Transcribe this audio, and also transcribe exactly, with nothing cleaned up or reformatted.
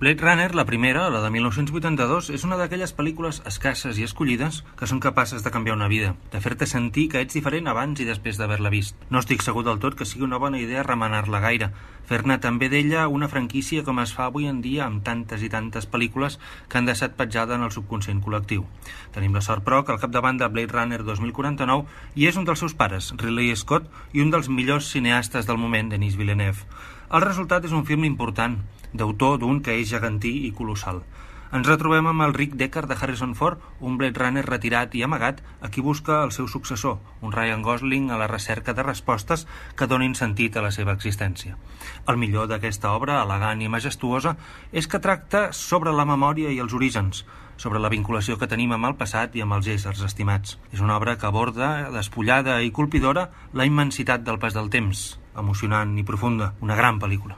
Blade Runner, la primera, la de mil nou-cents vuitanta-dos, és una d'aquelles pel·lícules escasses i escollides que són capaces de canviar una vida, de fer-te sentir que ets diferent abans i després d'haver-la vist. No estic segur del tot que sigui una bona idea remenar-la gaire, fer-ne també d'ella una franquícia com es fa avui en dia amb tantes i tantes pel·lícules que han deixat petjada en el subconscient col·lectiu. Tenim la sort, però, que al capdavant de Blade Runner dos mil quaranta-nou hi és un dels seus pares, Ridley Scott, i un dels millors cineastes del moment, Denis Villeneuve. El resultat és un film important, d'autor d'un que és gegantí i colossal. Ens retrobem amb el Rick Deckard de Harrison Ford, un Blade Runner retirat i amagat a qui busca el seu successor, un Ryan Gosling a la recerca de respostes que donin sentit a la seva existència. El millor d'aquesta obra, elegant i majestuosa, és que tracta sobre la memòria i els orígens, sobre la vinculació que tenim amb el passat i amb els éssers estimats. És una obra que aborda, despullada i colpidora, la immensitat del pas del temps, emocionant i profunda, una gran pel·lícula.